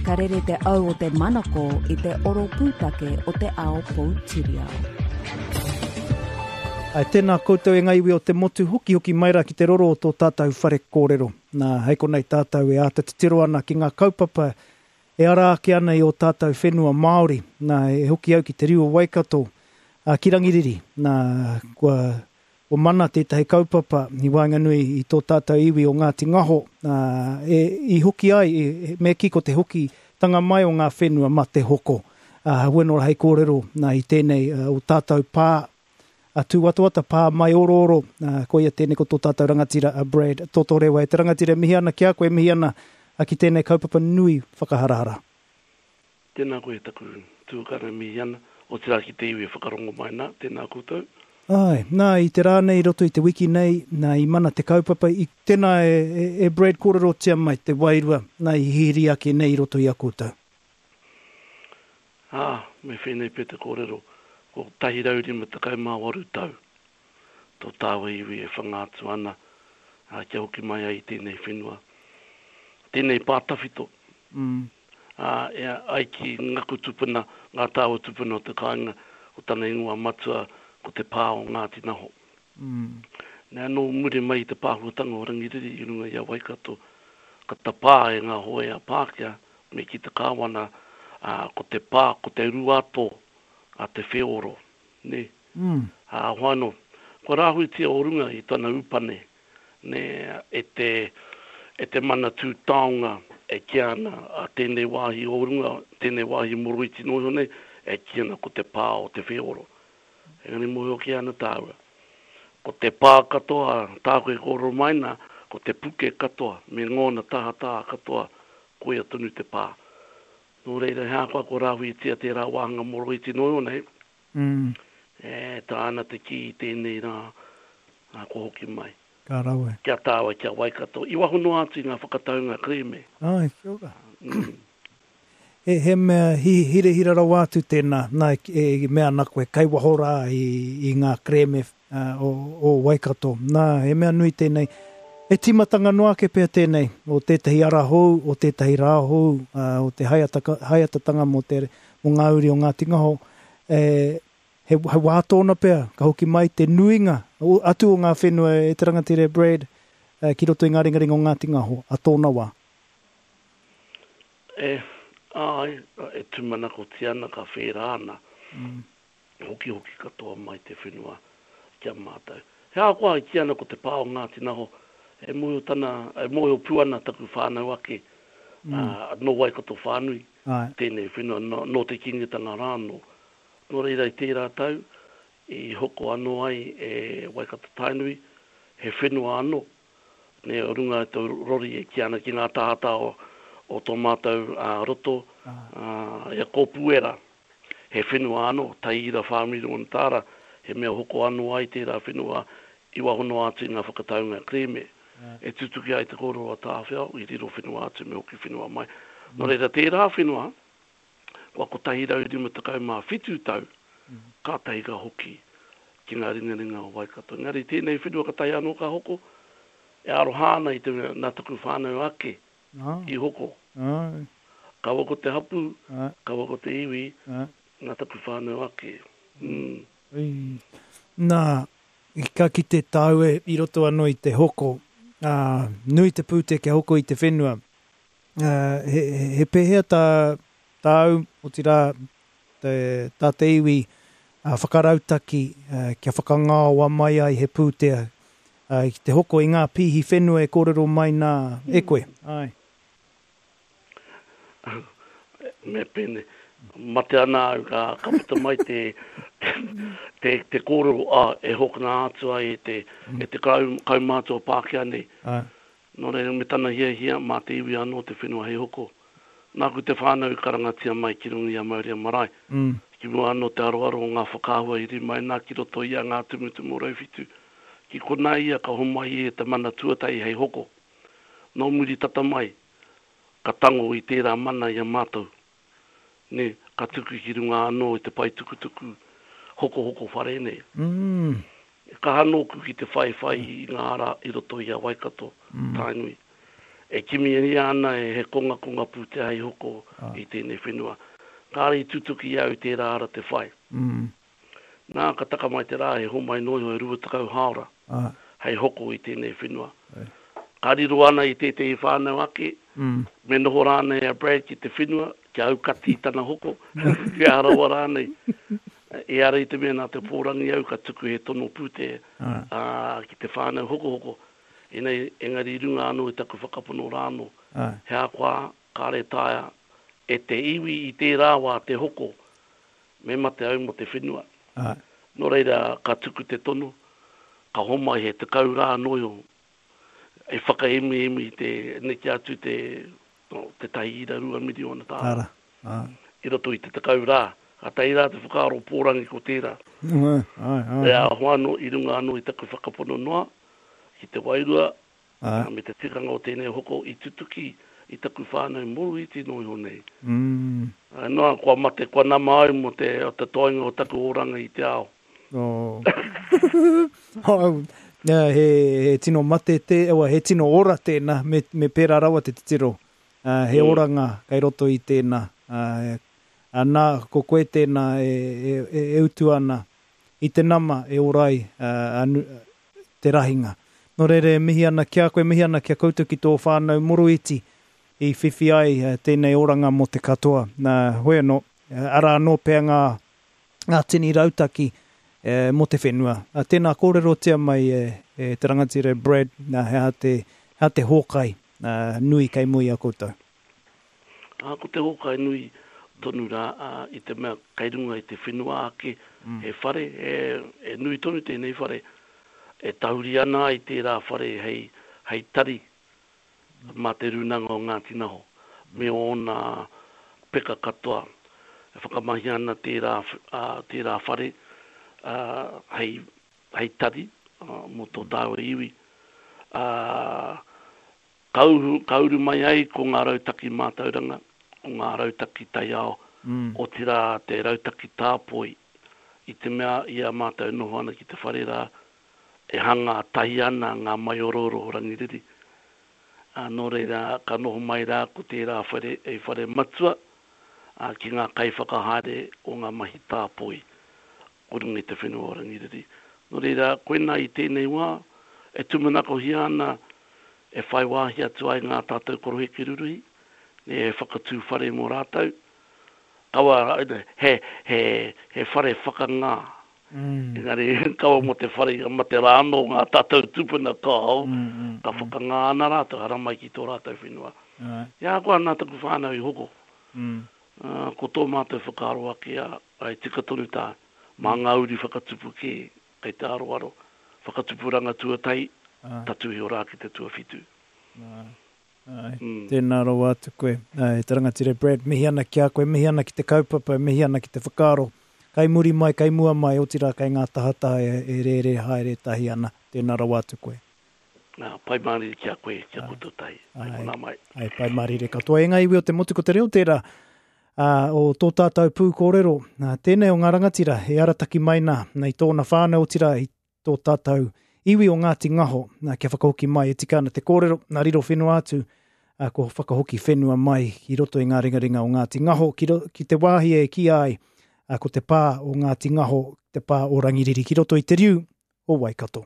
Ka rere te au o te manako i te oro pūtake o te ao poutiriao. Āe, tēnā koutou e ngā iwi o te motu, hokihoki mai rā ki te roro o tō tātou whare kōrero. Nā, hei konei tātou e āta titiro ana ki ngā kaupapa e ara ake ana i ō tātou whenua Māori. Nā, e hoki au ki te riu o Waikato, ā, ki Rangiriri. Nā, kua Kua mana tētahi kaupapa i waenganui i tō tātou iwi o Ngāti Ngaho, ā, e, i hoki ai, e, me kī ko te hokitanga mai o ngā whenua mā te hoko. Ā, hoi nō hei kōrero, nā, i tēnei o tātou pā, a Tūwatawata, pā maiorooro, ā, koia tēnei ko tō tātou rangatira a Brad Totorewa. E te rangatira e mihi ana ki a koe, e mihi ana ki tēnei kaupapa nui whakaharahara. Tēnā koe taku tuakana e mihi ana, otirā ki te iwi e whakarongo mai nā, tēnā koutou. Āe, nā, i te rā nei, i roto i te wiki nei, nā, i mana te kaupapa, i, tēnā e, e, e Brad kōrerotia mai te wairua, nā, i hihiri ake nei i roto i a koutou. Ā, me whēnei pea te kōrero, ko 158 tau tō tāua iwi e whanga atu ana, ā, kia hoki mai ai i tēnei whenua, tēnei pā tawhito. Ā, e ai ki ngaku tupuna, ngā tāua tupuna o te kāinga, ko tana ingoa matua ko Te Pā o Ngāti Naho. Nā, nō muri mai i te pāhuatanga o Rangiriri i runga i a Waikato, ka tapā e ngā hōia Pākehā me kī te kāwana, ā, ko te pā, ko te Ruato a Te Wheoro, nē. Ā, hoano, kua rāhuitia o runga i tana upane, nē, e te, e te Manatū Taonga e kīa ana a tēnei wāhi o runga, tēnei wāhi moroiti noa iho nei, e kī ana ko te pā o Te Wheoro. Engari mōhio kē ana tāua. Ko te pā katoa, tāku e kōrero mai nā, ko te puke katoa, me ngōna tahataa katoa, koia tonu te pā. Nō reira, he ahakoa kua rāhuitia tērā wāhanga moroiti noa iho nei, E taea ana te kī i tēnei rā, ā, kua hoki mai. Ka rawe. Kia tāua, kia Waikato, i waho noa atu i ngā whakataunga kerēme. Āe, kia ora. He, he mea hirahira rawa atu tēnā, nā, e mea ana koe, kei waho rā i, i ngā kerēme o, o Waikato. Nā, he mea nui tēnei. He tīmatanga noa ake pea tēnei, o tētahi ara hou, o tētahi rā hou, o te haeataka, haeatatanga mō te, mō ngā uri o Ngāti Ngaho. E, he, he wā tōna pea, ka hoki mai te nuinga atu o ngā whenua e te rangatira e Brad e, ki roto i ngā ringaringa o Ngāti Ngaho, a tōna wā. E, āe, e tūmanakotia ana ka whērā ana, mm. hokihoki katoa mai te whenua ki a mātou. He ahakoa e kī ana ko te pā o Ngāti Naho, e mōhio tana, e mōhio pū ana taku whānau ake, mm. ā, nō Waikato whānui, Āe. Tēnei whenua nō te Kīngitanga rā anō. Nō reira i tērā tau, i hoko anō ai e Waikato-Tainui he whenua anō, nē, o runga i te rori e kī ana ki ngā tahataha o tō mātou roto, i a Kōpūera. He whenua anō, tai ira whā miriona tāra, he mea hoko anō ai tērā whenua i waho noa atu i ngā whakataunga kerēme. E tutuki ai te kōrero a Tāwhiao, i riro whenua atu me hoki whenua mai. Nō reira, tērā whenua, kua 157 tau, kātahi ka hoki ki ngā ringaringa o Waikato. Engari tēnei whenua katahi anō ka hoko, e aroha ana i te mea nā taku whānau ake i hoko. Kaua ko te hapū, kaua ko te iwi, nā taku whānau ake. Nā, Ka kite tāu e i roto anō i te hoko, ā, nui te pūtea kia hoko i te whenua. Ā, he, he pēhea tā, tāu, otirā, te, tā te iwi ā, whakarautaki ā, kia whakangaoa mai ai he pūtea ā, ki te hoko i ngā pīhi whenua e kōrero mai nā e koe? Āe. Me pēnei, mate ana au ka, ka puta mai te, te, te kōrero a, e hokona atu ai e te, e te kau, kaumātua Pākehā nei. Āe. Nō reira, me tana hiahia, mā te iwi anō te whenua hei hoko. Nāku te whānau i karangatia mai ki runga i a Maurea Marae. Mm. Ki mua anō te aroaro o ngā whakaahua i rimaina ki roto i a Ngā Tumutumu o Rauwhitu. Ki konā ia ka homai e te mana tuatahi hei hoko. Nō muri tata mai, ka tango i tērā mana i a mātou, nē, ka tuku ki runga anō i te pae tukutuku hokohoko whare nei. E kaha nōku ki te whaiwhai i ngā ara i roto i a Waikato, Tainui. E kimihia ana he kongakonga pūtea hei hoko i tēnei whenua. Kāre i tutuki i a au tērā ara te whai. Nā, ka taka mai te rā he homai noa iho e 20 hāora hei hoko i tēnei whenua. Ka riro ana i tētehi whānau ake, me noho rānei a Brad ki te whenua, kia aukati i tana hoko, kia aha rawa rānei. Ehara i te mea nā te pōrangi au ka tuku he tono pūtea ki te whānau hokohoko, Ēnei, engari i runga anō i taku whakapono rānō, he ahakoa kāre taea e te iwi i tērā wā te hoko, me mate au mō te whenua. Nō reira, ka tuku te tono, ka homai he 10 rā noa iho e whakaemiemi te neke atu te 1.2 miriona tāra i roto i te 10 rā. Kātahi rā te whakaaro pōrangi ko tērā. E aho anō i runga anō i taku whakapono noa ki te wairua me te tikanga o tēnei hoko i tutuki i taku whānau moroiti noa iho nei. Noa, kua mate, kua nama au mō te, te toenga o taku oranga i te ao. He, he tino mate te, he tino ora tēnā, me, me pērā rawa te titiro. He oranga kei roto i tēnā. Nā, ko koe tēnā e, e, e, e utu ana i te nama e ora ai te rahinga. Nō reira e mihi ana ki a koe, mihi ana ki a koutou ki tō whānau moroiti i whiwhi ai tēnei oranga mō te katoa. Nā, hoi anō, arā anō pea ngā, ngā tini rautaki mō te whenua. Tēnā kōrerotia mai e, e te rangatira e Brad, nā, he aha te, he aha te hōkai nui kei mua i a koutou? Ā, ko te hōkai nui tonu rā, ā, i te mea kei runga i te whenua ake he whare, e, e nui tonu tēnei whare, e tahuri ana ai tērā whare hei, hei tari mā Te Rūnanga o Ngāti Naho me ōna peka katoa. E whakamahia ana tērā, ā, tērā whare, ā, hei, hei tari, ā, mō tō tāua iwi. Ā, Ka uru, ka uru mai ai ko ngā rautaki mātauranga, ko ngā rautaki taiao, otirā te rautaki tāpoi, i te mea i a mātou e noho ana ki te whare rā, e hanga tahi ana ngā maiorooro o Rangiriri. Ā, nō reira, ka noho mai rā ko tērā whare hei whare matua, ā, ki ngā kaiwhakahaere o ngā mahi tāpoi o runga i te whenua o Rangiriri. Nō reira, koinā i tēnei wā, e tūmanakohia ana e whai wāhi atu ai ngā tātou koroheke ruruhi, me he whakatū whare mō rātou. Kaua, he, he, he whare whakangā. Engari, kaua mō te whare, mate rā anō ngā tātou tūpuna kāo, ka whakangā ana rātou, haramai ki tō rātou whenua. I a koa nā taku whānau i hoko, ko tō mātou whakaaro ake, ā, Āe, tika tonu tā, mā ngā uri whakatupu kē kei te aroaro, whakatupuranga tuatahi, tatū iho rā ki te tuawhitu. Āe, āe, tēnā rawa atu koe, e te rangatira Brad, mihi ana ki a koe, mihi ana ki te kaupapa, mihi ana ki te whakaaro, kei muri mai, kei mua mai, otirā kei ngā tahataha e rērē haere tahi ana, tēnā rawa atu koe. Ā, pai mārire ki a koe, ki a koutou tahi. Hai konā mai. Āe, pai mārire katoa. E ngā iwi o te motu, ko te reo tērā, ā, o tō tātou pūkōrero, ā, tēnei o ngā rangatira e arataki mai nā, nā i tōna whānau, otirā i tō tātou iwi o Ngāti Ngaho, nā, kia whakahoki mai e tika ana te kōrero, nā riro whenua atu, ā, kua whakahoki whenua mai ki roto i ngā ringaringa o Ngāti Ngaho, ki, ro, ki te wāhi e kīia ai, ā, ko te pā o Ngāti Ngaho, te pā o Rangiriri, ki roto i te riu o Waikato.